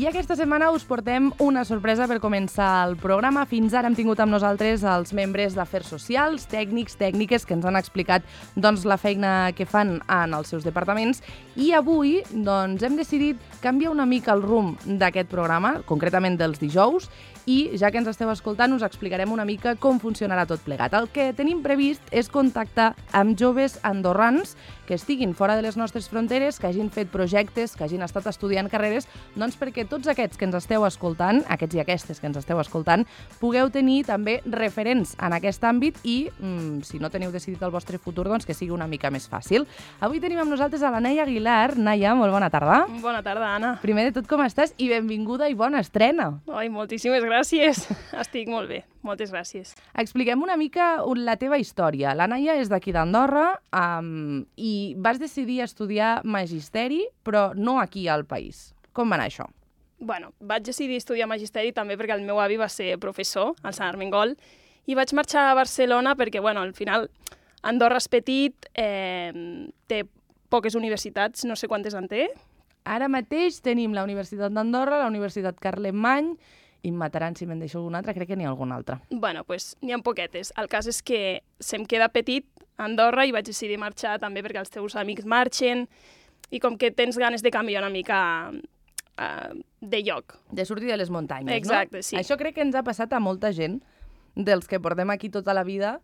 aquesta setmana us portem una sorpresa per començar el programa. Fins ara hem tingut amb nosaltres els membres d'Afers Socials, tècnics, tècniques, que ens han explicat la feina que fan en els seus departaments. I avui hem decidit canviar una mica el rumb d'aquest programa, concretament dels dijous, i ja que ens esteu escoltant us explicarem una mica com funcionarà tot plegat. El que tenim previst és contactar amb joves andorrans que estiguin fora de les nostres fronteres, que hagin fet projectes, que hagin estat estudiant carreres, perquè tots aquests que ens esteu escoltant, aquests i aquestes que ens esteu escoltant, pugueu tenir també referents en aquest àmbit i, si no teniu decidit el vostre futur, que sigui una mica més fàcil. Avui tenim amb nosaltres a la Naia Aguilar. Naia, molt bona tarda. Bona tarda, Anna. Primer de tot, com estàs? I benvinguda i bona estrena. Ai, moltíssimes gràcies. Estic molt bé. Moltes gràcies. Expliquem una mica la teva història. La Naia és d'aquí d'Andorra i vas decidir estudiar magisteri, però no aquí al país. Com va anar això? Bueno, vaig decidir estudiar magisteri també perquè el meu avi va ser professor al Sant Armengol i vaig marxar a Barcelona perquè, al final, Andorra és petit, té poques universitats, no sé quantes en té. Ara mateix tenim la Universitat d'Andorra, la Universitat Carlemany, i em mataran si me'n deixo alguna altra, crec que n'hi ha alguna altra. N'hi ha poquetes. El cas és que se'm queda petit a Andorra i vaig decidir marxar també perquè els teus amics marxen i com que tens ganes de canviar una mica de lloc. De sortir de les muntanyes, Exacte, sí. Això crec que ens ha passat a molta gent dels que portem aquí tota la vida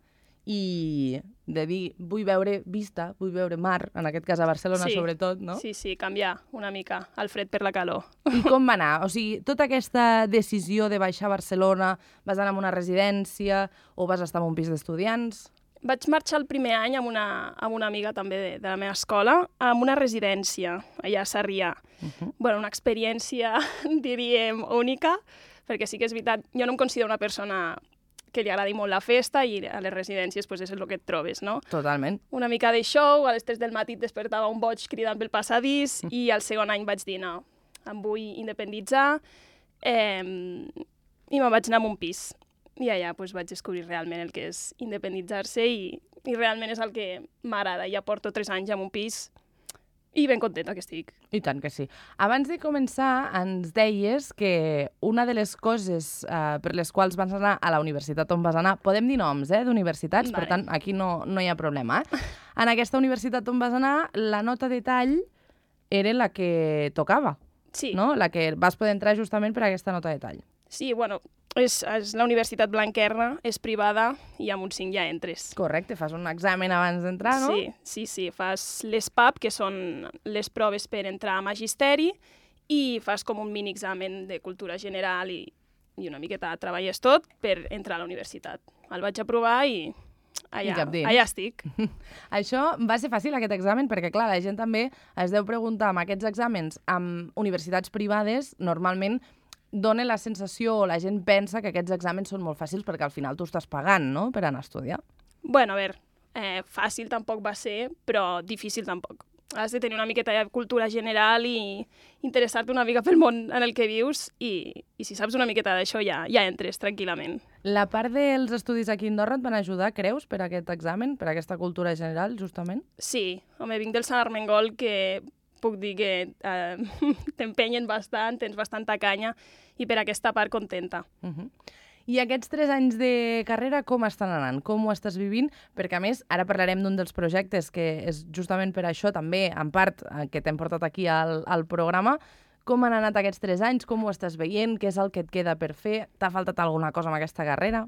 i de dir, vull veure vista, vull veure mar, en aquest cas a Barcelona sobretot, no? Sí, canviar una mica el fred per la calor. I com va anar? O sigui, tota aquesta decisió de baixar a Barcelona, vas anar a una residència o vas estar en un pis d'estudiants? Vaig marxar el primer any amb una amiga també de la meva escola, a una residència, allà a Sarrià. Una experiència, diríem, única, perquè sí que és veritat, jo no em considero una persona que li agradi molt la festa i a les residències és el que et trobes, no? Totalment. Una mica de show, a les 3 del matí et despertava un boig cridant pel passadís i al segon any vaig dir, no, em vull independitzar i me'n vaig anar a un pis. I allà vaig descobrir realment el que és independitzar-se i realment és el que m'agrada. Ja porto 3 anys en un pis i ben contenta que estic. I tant que sí. Abans de començar, ens deies que una de les coses per les quals vas anar a la universitat on vas anar, podem dir noms, d'universitats, per tant, aquí no hi ha problema. En aquesta universitat on vas anar, la nota de tall era la que tocava, no? La que vas poder entrar justament per aquesta nota de tall. Sí, és la Universitat Blanquerna, és privada i amb un 5 ja entres. Correcte, fas un examen abans d'entrar, no? Sí, fas les PAP, que són les proves per entrar a magisteri, i fas com un mini examen de cultura general i una miqueta treballes tot per entrar a la universitat. El vaig aprovar i allà estic. Això va ser fàcil, aquest examen, perquè, clar, la gent també es deu preguntar amb aquests exàmens amb universitats privades, normalment dona la sensació o la gent pensa que aquests exàmens són molt fàcils perquè al final tu estàs pagant, no?, per anar a estudiar. A veure, fàcil tampoc va ser, però difícil tampoc. Has de tenir una miqueta de cultura general i interessar-te una mica pel món en el que vius i si saps una miqueta d'això ja entres tranquil·lament. La part dels estudis aquí a Andorra et van ajudar, creus, per aquest examen, per aquesta cultura general, justament? Sí, vinc del Sant Armengol, que puc dir que t'empenyen bastant, tens bastanta canya i per aquesta part contenta. I aquests 3 anys de carrera com estan anant? Com ho estàs vivint? Perquè, a més, ara parlarem d'un dels projectes que és justament per això també, en part, que t'hem portat aquí al programa. Com han anat aquests 3 anys? Com ho estàs veient? Què és el que et queda per fer? T'ha faltat alguna cosa amb aquesta carrera?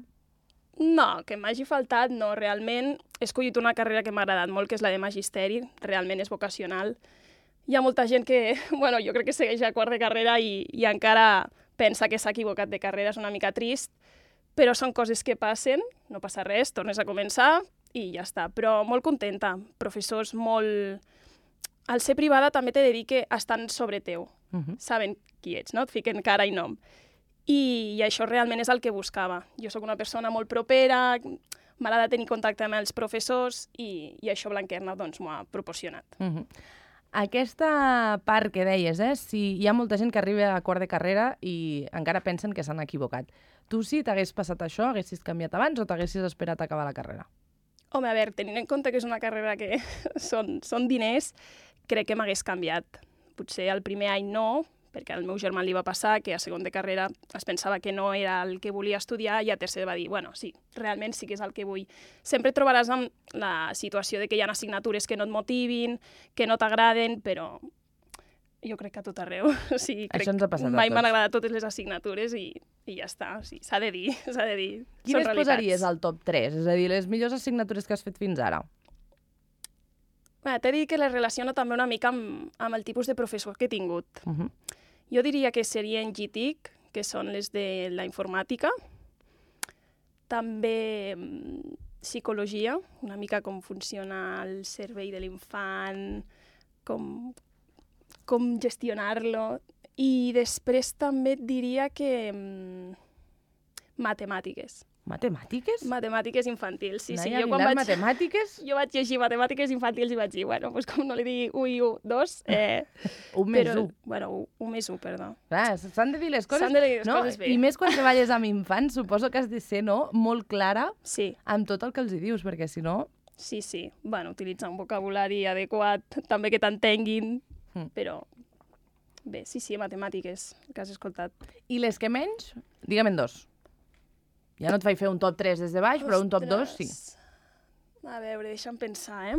No, que m'hagi faltat, no. Realment he escollit una carrera que m'ha agradat molt, que és la de magisteri. Realment és vocacional. Hi ha molta gent que, jo crec que segueix a quart de carrera i encara pensa que s'ha equivocat de carrera, és una mica trist, però són coses que passen, no passa res, tornes a començar i ja està. Però molt contenta, professors molt... Al ser privada també t'he de dir que estan sobre teu, saben qui ets, no? Et fiquen cara i nom. I això realment és el que buscava. Jo sóc una persona molt propera, m'agrada tenir contacte amb els professors i això Blanquerna m'ho ha proporcionat. Aquesta part que deies, si hi ha molta gent que arriba a quart de carrera i encara pensen que s'han equivocat. Tu, si t'hagués passat això, haguessis canviat abans o t'haguessis esperat a acabar la carrera? Home, a veure, tenint en compte que és una carrera que són diners, crec que m'hagués canviat. Potser el primer any no, perquè al meu germà li va passar que a segon de carrera es pensava que no era el que volia estudiar i a tercer va dir, bueno, sí, realment sí que és el que vull. Sempre et trobaràs amb la situació de que hi ha assignatures que no et motivin, que no t'agraden, però jo crec que a tot arreu. O sigui, Això ens ha passat a mai tots. m'han agradat totes les assignatures i ja està. O sigui, s'ha de dir, s'ha de dir. Quines posaries al top 3? És a dir, les millors assignatures que has fet fins ara? T'he dit que les relaciono també una mica amb el tipus de professor que he tingut. Jo diria que serien GTIC, que són les de la informàtica. També psicologia, una mica com funciona el cervell de l'infant, com gestionar-lo. I després també et diria que matemàtiques. Matemàtiques? Matemàtiques infantils, sí. Naia Jo Aguilar, matemàtiques? Jo vaig llegir matemàtiques infantils i vaig dir, bueno, doncs com no li digui 1 i 1, 2... 1 més 1. Bueno, 1 més 1, perdó. Clar, s'han de dir les coses... S'han de dir les coses bé. I més quan treballes amb infants, suposo que has de ser, no?, molt clara amb tot el que els hi dius, perquè si no... Sí. Bueno, utilitzar un vocabulari adequat, també que t'entenguin, però... Bé, sí, matemàtiques, que has escoltat. I les que menys? Digue'm en 2. Ja no et faig fer un top 3 des de baix, però un top 2 sí. A veure, deixa'm pensar,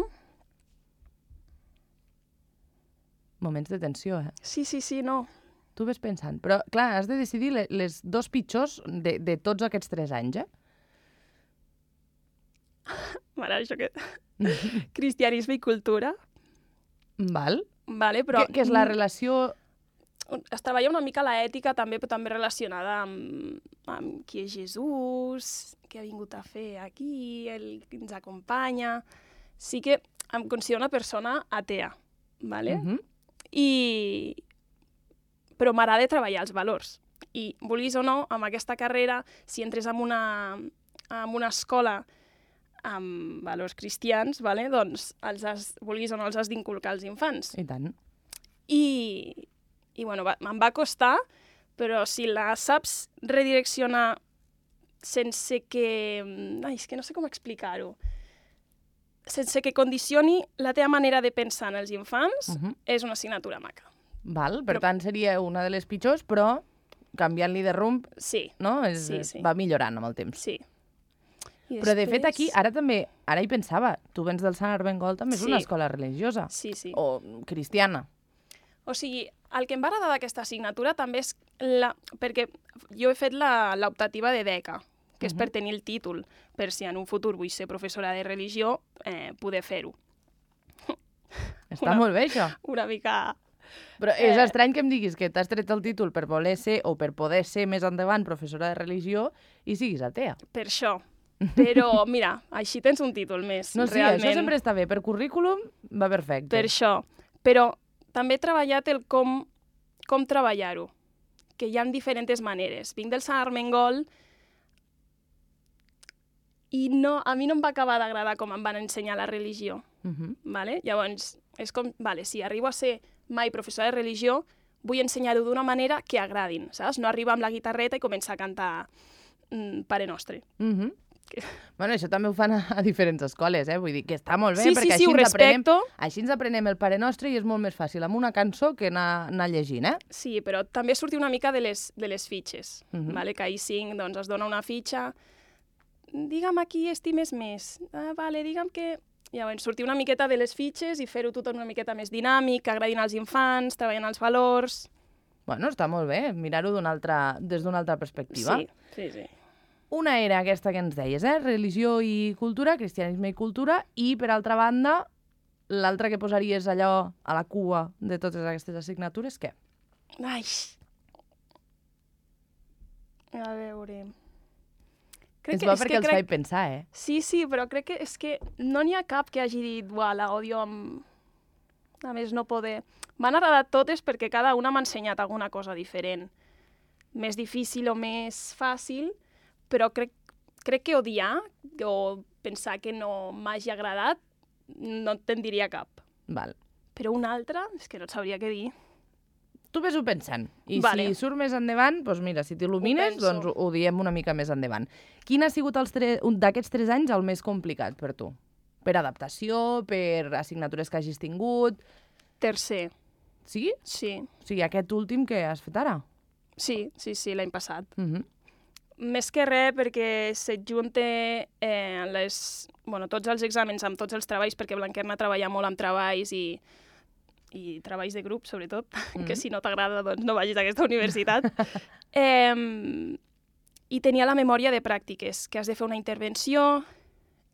Moments de tensió, Sí, no. Tu ves pensant. Però, clar, has de decidir les 2 pitjors de tots aquests 3 anys, Mare, això que... Cristianisme i cultura. Val. Vale, però... Que és la relació... Es treballa una mica l'ètica també, però també relacionada amb qui és Jesús, què ha vingut a fer aquí, el que ens acompanya... Sí que em considero una persona atea, ¿vale? Però m'agrada treballar els valors. I, vulguis o no, amb aquesta carrera, si entres en una escola amb valors cristians, ¿vale? Doncs, vulguis o no, els has d'inculcar als infants. I tant. I bueno, em va costar, però si la saps redireccionar sense que... Ai, és que no sé com explicar-ho. Sense que condicioni la teva manera de pensar en els infants, és una assignatura maca. Val, per tant seria una de les pitjors, però canviant-li de rumb, no? Sí. Va millorant amb el temps. Sí. Però de fet aquí, ara hi pensava, tu vens del Sant Armengol, també és una escola religiosa. Sí. O cristiana. O sigui, el que em va agradar d'aquesta assignatura també és perquè jo he fet l'optativa de beca, que és per tenir el títol, per si en un futur vull ser professora de religió, poder fer-ho. Està molt bé, això. Una mica... Però és estrany que em diguis que t'has tret el títol per voler ser o per poder ser més endavant professora de religió i siguis atea. Per això. Però, mira, així tens un títol més, no, sí, realment. Això sempre està bé. Per currículum va perfecte. Per això. Però també he treballat el com treballar-ho, que hi ha diferents maneres. Vinc del Sant Armengol i a mi no em va acabar d'agradar com em van ensenyar la religió. Vale? Llavors, és com, si arribo a ser mai professora de religió, vull ensenyar-ho d'una manera que agradin, saps? No arribar amb la guitarreta i començar a cantar Pare Nostre. Bueno, això també ho fan a diferents escoles, Vull dir que està molt bé, sí, perquè així ens aprenem el Pare Nostre i és molt més fàcil amb una cançó que anar llegint, Sí, però també sortir una mica de les fitxes, vale? Que ahir 5 doncs, es dona una fitxa, digue'm a qui estimes més, vale, digue'm que... Llavors, sortir una miqueta de les fitxes i fer-ho tot una miqueta més dinàmic, que agradin als infants, treballant els valors... Bueno, està molt bé, mirar-ho des d'una altra perspectiva. Sí. Una era aquesta que ens deies, religió i cultura, cristianisme i cultura, i, per altra banda, l'altra que posaries allò a la cua de totes aquestes assignatures, què? Ai! A veure... És bo perquè els faig pensar, Sí, però crec que és que no n'hi ha cap que hagi dit la odio amb... A més, no poder... M'han agradat totes perquè cada una m'ha ensenyat alguna cosa diferent. Més difícil o més fàcil, però crec que odiar o pensar que no m'hagi agradat no te'n diria cap. Val. Però una altra, és que no et sabria què dir. Tu ves-ho pensant. I si surt més endavant, doncs mira, si t'il·lumines, doncs ho diem una mica més endavant. Quin ha sigut d'aquests 3 anys el més complicat per tu? Per adaptació, per assignatures que hagis tingut? Tercer. Sí? Sí. O sigui, aquest últim que has fet ara? Sí, l'any passat. Mhm. Més que res perquè s'adjunta tots els exàmens amb tots els treballs, perquè Blanquerna treballa molt amb treballs i treballs de grup, sobretot, que si no t'agrada doncs no vagis a aquesta universitat. I tenia la memòria de pràctiques, que has de fer una intervenció,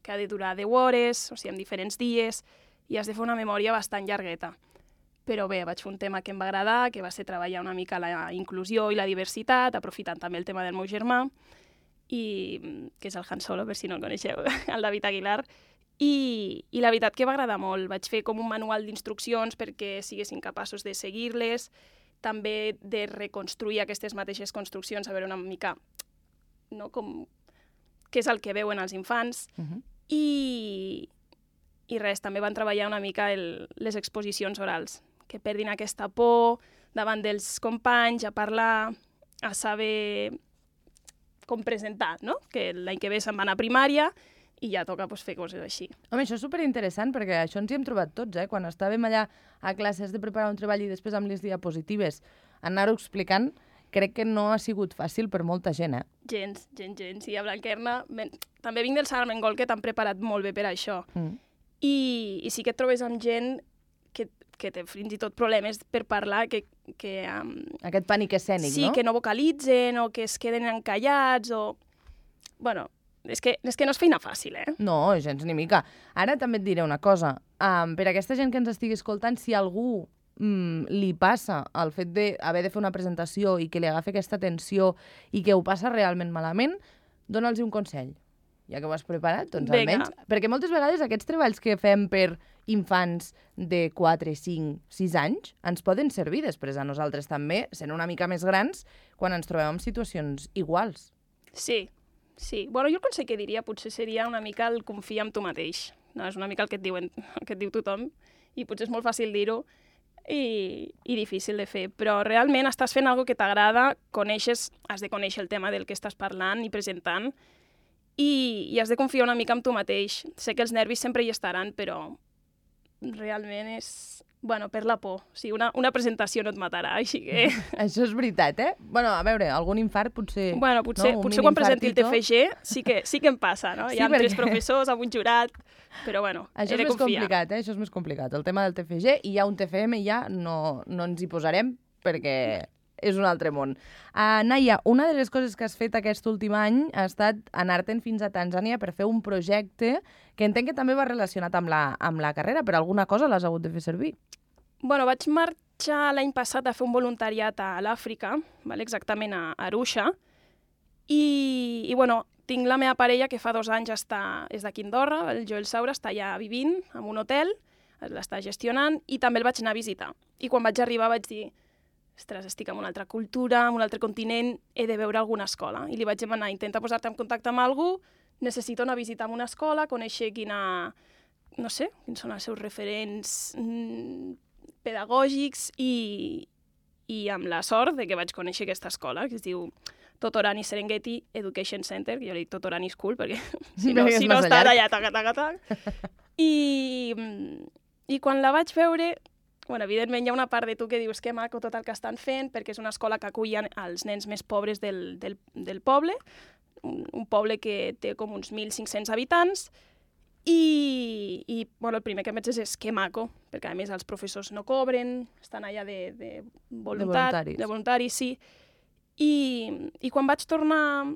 que ha de durar 10 hores, o sigui, en diferents dies, i has de fer una memòria bastant llargueta. Però bé, vaig fer un tema que em va agradar, que va ser treballar una mica la inclusió i la diversitat, aprofitant també el tema del meu germà, que és el Han Solo, per si no el coneixeu, el David Aguilar. I la veritat que va agradar molt. Vaig fer com un manual d'instruccions perquè siguessin capaços de seguir-les, també de reconstruir aquestes mateixes construccions, a veure una mica no, com què és el que veuen els infants. I res, també van treballar una mica les exposicions orals, que perdin aquesta por davant dels companys, a parlar, a saber com presentar, no? Que l'any que ve se'n van a primària i ja toca fer coses així. Home, això és superinteressant, perquè això ens hi hem trobat tots, quan estàvem allà a classes de preparar un treball i després amb les diapositives anar-ho explicant, crec que no ha sigut fàcil per molta gent, Gens. I a Blanquerna també vinc del Sant Armengol, que t'han preparat molt bé per això. I sí que et trobes amb gent que té fins i tot problemes per parlar, aquest pànic escènic, sí, no? Sí, que no vocalitzen o que es queden encallats o... Bueno, és que no és feina fàcil, No, gens ni mica. Ara també et diré una cosa. Per aquesta gent que ens estigui escoltant, si algú li passa el fet d'haver de fer una presentació i que li agafi aquesta tensió i que ho passa realment malament, dona'ls un consell. Ja que ho has preparat, doncs almenys... Perquè moltes vegades aquests treballs que fem per infants de 4, 5, 6 anys ens poden servir després a nosaltres també, sent una mica més grans, quan ens trobem en situacions iguals. Sí. Bueno, jo el consell que diria potser seria una mica el confiar en tu mateix. No, és una mica el que et diu tothom i potser és molt fàcil dir-ho i difícil de fer, però realment estàs fent alguna que t'agrada, has de conèixer el tema del que estàs parlant i presentant i has de confiar una mica en tu mateix. Sé que els nervis sempre hi estaran, però realment és... Bueno, per la por. O sigui, una presentació no et matarà, així que... Això és veritat, Bueno, a veure, algun infart potser... Bueno, potser quan presenti el TFG sí que em passa, no? Sí, hi ha 3 professors, amb un jurat, però bueno, això he de confiar. Això és més complicat. El tema del TFG i hi ha un TFM i ja no ens hi posarem perquè és un altre món. Naia, una de les coses que has fet aquest últim any ha estat anar-te'n fins a Tanzània per fer un projecte que entenc que també va relacionat amb la carrera, però alguna cosa l'has hagut de fer servir. Bueno, vaig marxar l'any passat a fer un voluntariat a l'Àfrica, exactament a Arusha, i bueno, tinc la meva parella que fa 2 anys és d'aquí Andorra, el Joel Saura, està allà vivint en un hotel, l'està gestionant, i també el vaig anar a visitar. I quan vaig arribar vaig dir, ostres, estic en una altra cultura, en un altre continent, he de veure alguna escola. I li vaig demanar, intenta posar-te en contacte amb algú, necessito anar a visitar una escola, conèixer no sé, quins són els seus referents pedagògics i amb la sort de que vaig conèixer aquesta escola, que es diu Totorani Serengeti Education Center, que jo li dic Totorani School, perquè si no està allà, tac. I quan la vaig veure, bueno, evidentment hi ha una part de tu que dius que maco tot el que estan fent, perquè és una escola que acullen els nens més pobres del poble, un poble que té com uns 1.500 habitants, i bueno, el primer que em vaig dir és que maco, perquè a més els professors no cobren, estan allà de voluntaris, sí. I quan vaig tornar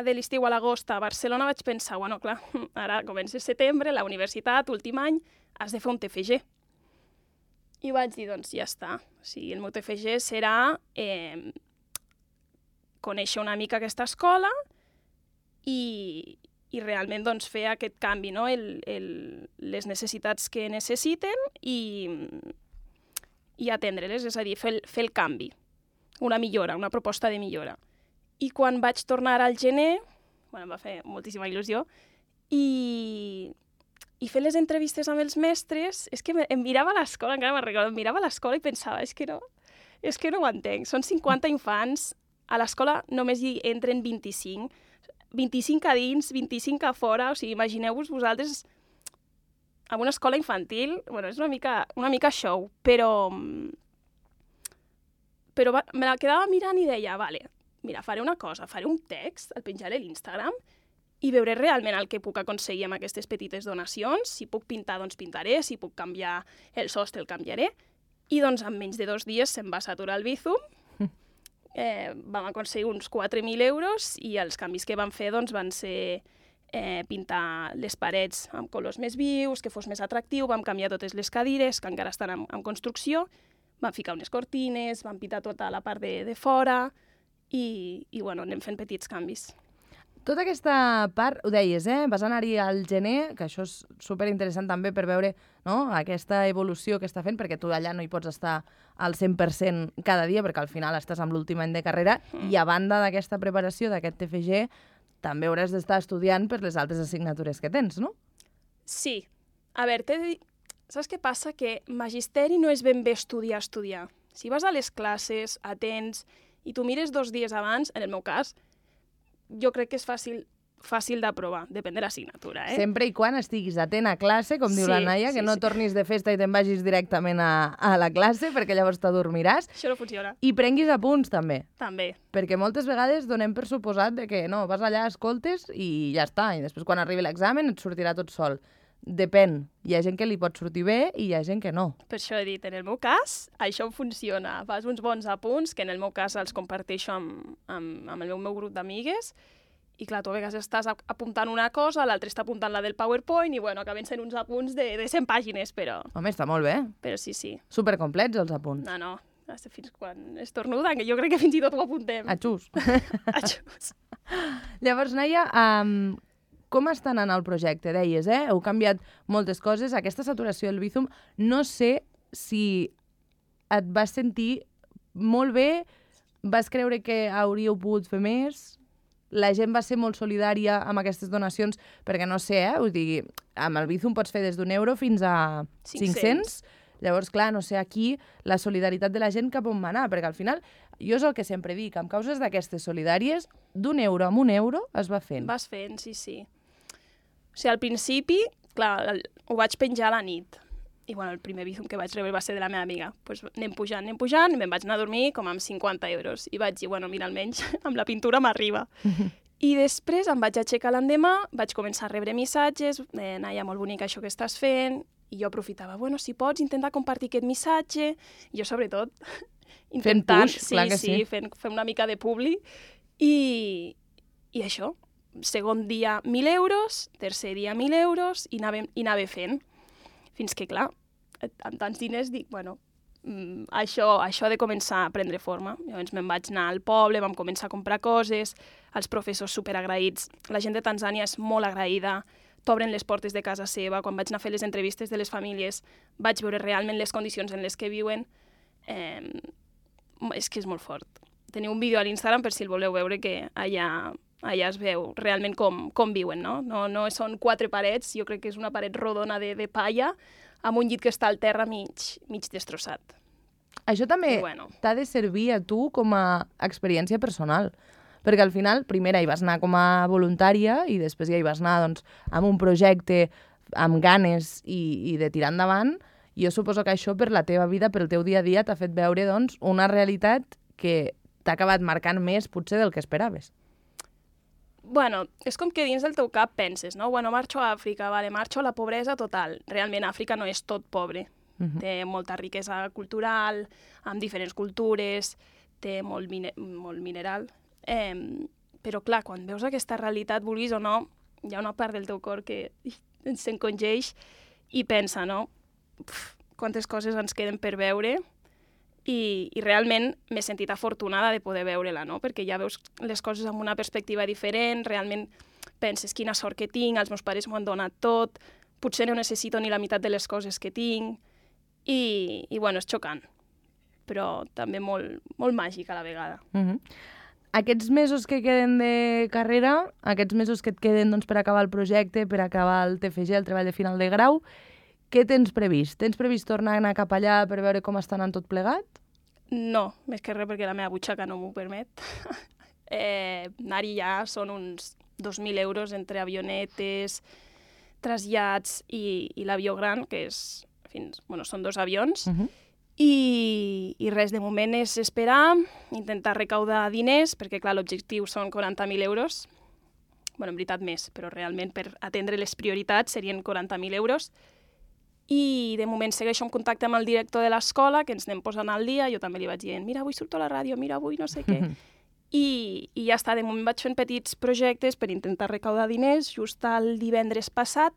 de l'estiu a l'agost a Barcelona vaig pensar, bueno, clar, ara comença setembre, la universitat, últim any, has de fer un TFG. I vaig dir, doncs ja està. O sigui, el meu TFG serà conèixer una mica aquesta escola i realment doncs, fer aquest canvi, no? Les necessitats que necessiten i atendre-les, és a dir, fer el canvi, una millora, una proposta de millora. I quan vaig tornar al gener, bueno, em va fer moltíssima il·lusió, i fer les entrevistes amb els mestres, és que em mirava a l'escola, encara me'n recordo, em mirava a l'escola i pensava, és que no ho entenc. Són 50 infants, a l'escola només hi entren 25 a dins, 25 a fora, o sigui, imagineu-vos vosaltres en una escola infantil, bueno, és una mica show, però me la quedava mirant i deia, vale, mira, faré una cosa, faré un text, el penjaré a l'Instagram i veuré realment el que puc aconseguir amb aquestes petites donacions. Si puc pintar, doncs pintaré, si puc canviar el sostre, el canviaré. I doncs en menys de 2 dies se'm va saturar el Bizum, vam aconseguir uns 4.000 euros i els canvis que vam fer doncs, van ser pintar les parets amb colors més vius, que fos més atractiu, vam canviar totes les cadires, que encara estan en construcció, vam ficar unes cortines, vam pintar tota la part de fora i bueno, anem fent petits canvis. Tota aquesta part, ho deies, vas anar-hi al gener, que això és superinteressant també per veure, no?, aquesta evolució que està fent, perquè tu allà no hi pots estar al 100% cada dia, perquè al final estàs amb l'últim any de carrera, i a banda d'aquesta preparació d'aquest TFG, també hauràs d'estar estudiant per les altres assignatures que tens, no? Sí. A veure, t'he de dir, saps què passa? Que magisteri no és ben bé estudiar. Si vas a les classes, atents, i tu mires 2 dies abans, en el meu cas, jo crec que és fàcil d'aprovar, depèn de l'assignatura, Sempre i quan estiguis atent a classe, com diu la Naia, que no tornis de festa i te'n vagis directament a la classe, perquè llavors t'adormiràs. Això no funciona. I prenguis apunts, també. També. Perquè moltes vegades donem per suposat de que no, vas allà, escoltes i ja està, i després quan arribi l'examen et sortirà tot sol. Depèn. Hi ha gent que li pot sortir bé i hi ha gent que no. Per això he dit, en el meu cas, això funciona. Fas uns bons apunts, que en el meu cas els comparteixo amb el meu grup d'amigues, i clar, tu a vegades estàs apuntant una cosa, l'altre està apuntant la del PowerPoint, i bueno, acaben sent uns apunts de 100 pàgines, però... Home, està molt bé. Però sí. Supercomplets, els apunts. No, fins quan estornuda, que jo crec que fins i tot ho apuntem. Atxús. Atxús. Llavors, Naia, com està anant el projecte? Deies, heu canviat moltes coses. Aquesta saturació del Bizum, no sé si et vas sentir molt bé, vas creure que hauríeu pogut fer més, la gent va ser molt solidària amb aquestes donacions, perquè no sé, us digui, amb el Bizum pots fer des d'1 fins a 500. Llavors, clar, no sé aquí la solidaritat de la gent cap on va anar, perquè al final, jo és el que sempre dic, amb causes d'aquestes solidàries, d'€1 amb €1 es va fent. Vas fent, sí. O sigui, al principi, clar, ho vaig penjar a la nit. I bueno, el primer Bizum que vaig rebre va ser de la meva amiga. Pues anem pujant, i me'n vaig anar a dormir com amb 50 euros. I vaig dir, bueno, mira, almenys amb la pintura m'arriba. I després em vaig aixecar l'endemà, vaig començar a rebre missatges, Naia, molt bonica això que estàs fent, i jo aprofitava, bueno, si pots intentar compartir aquest missatge, i jo sobretot intentant... Fent push, clar que sí. Fent una mica de publi, i això, segon dia 1.000 euros, tercer dia 1.000 euros, i anava fent. Fins que, clar, amb tants diners dic, bueno, això ha de començar a prendre forma. Llavors me'n vaig anar al poble, vam començar a comprar coses, els professors superagraïts, la gent de Tanzània és molt agraïda, t'obren les portes de casa seva. Quan vaig anar a fer les entrevistes de les famílies vaig veure realment les condicions en les que viuen. És que és molt fort. Teniu un vídeo a l'Instagram per si el voleu veure, que allà es veu realment com viuen, no? No són 4 parets, jo crec que és una paret rodona de palla amb un llit que està al terra mig destrossat. Això també t'ha de servir a tu com a experiència personal, perquè al final, primer hi vas anar com a voluntària i després ja hi vas anar doncs, amb un projecte, amb ganes i de tirar endavant. Jo suposo que això per la teva vida, per el teu dia a dia, t'ha fet veure doncs, una realitat que t'ha acabat marcant més potser del que esperaves. Bueno, és com que dins del teu cap penses, no? Bueno, marxo a Àfrica, vale, marxo a la pobresa total. Realment Àfrica no és tot pobre. Té molta riquesa cultural, amb diferents cultures, té molt mineral. Però clar, quan veus aquesta realitat, vulguis o no, hi ha una part del teu cor que s'encongeix i pensa, no? Quantes coses ens queden per veure. I realment m'he sentit afortunada de poder veure-la, no? Perquè ja veus les coses amb una perspectiva diferent, realment penses quina sort que tinc, els meus pares m'ho han donat tot, potser no necessito ni la meitat de les coses que tinc, i bueno, és xocant, però també molt, molt màgic a la vegada. Aquests mesos que queden de carrera, aquests mesos que et queden doncs, per acabar el projecte, per acabar el TFG, el treball de final de grau, què tens previst? Tens previst tornar a anar cap allà per veure com està anant tot plegat? No, més que res perquè la meva butxaca no m'ho permet. Anar-hi ja són uns 2.000 euros entre avionetes, trasllats i l'avió gran, que és són 2 avions. I res, de moment és esperar, intentar recaudar diners, perquè clar, l'objectiu són 40.000 euros. En veritat més, però realment per atendre les prioritats serien 40.000 euros. I de moment segueixo en contacte amb el director de l'escola, que ens anem posant al dia. Jo també li vaig dient, mira, avui surto a la ràdio, mira, avui no sé què. I ja està, de moment vaig fent petits projectes per intentar recaudar diners. Just el divendres passat,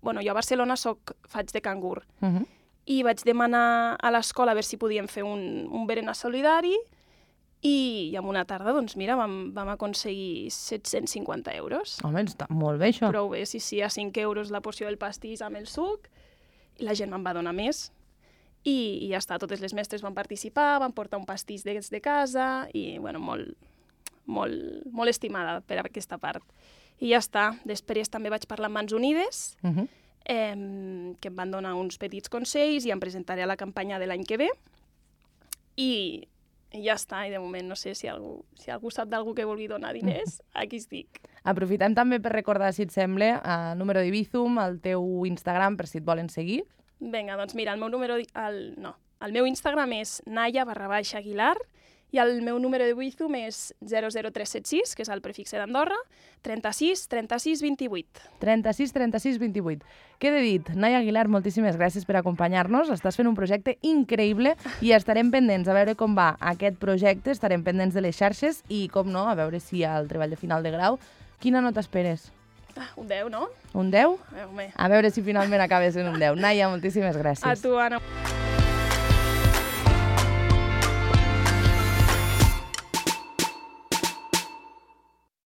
jo a Barcelona faig de cangur. I vaig demanar a l'escola a veure si podíem fer un berenar solidari i en una tarda, doncs mira, vam aconseguir 750 euros. Home, està molt bé, això. Prou bé, sí, a 5 euros la porció del pastís amb el suc, i la gent me'n va donar més. I ja està, totes les mestres van participar, van portar un pastís de casa, i molt estimada per aquesta part. I ja està, després també vaig parlar amb Mans Unides, que em van donar uns petits consells i em presentaré a la campanya de l'any que ve. I ja està, i de moment no sé si algú sap d'algú que vulgui donar diners, aquí estic. Aprofitem també per recordar, si et sembla, el número d'Ibizum, el teu Instagram, per si et volen seguir. Vinga, doncs mira, el meu Instagram és naya_aguilar i el meu número d'Ibizum és 00376, que és el prefixe d'Andorra, 36 36 28. 36 36 28. Queda dit, Naya Aguilar, moltíssimes gràcies per acompanyar-nos. Estàs fent un projecte increïble i estarem pendents a veure com va aquest projecte, estarem pendents de les xarxes i, com no, a veure si al treball de final de grau. Quina nota esperes? Un 10, no? Un 10? Home. A veure si finalment acabes en un 10. Naya, moltíssimes gràcies. A tu, Anna.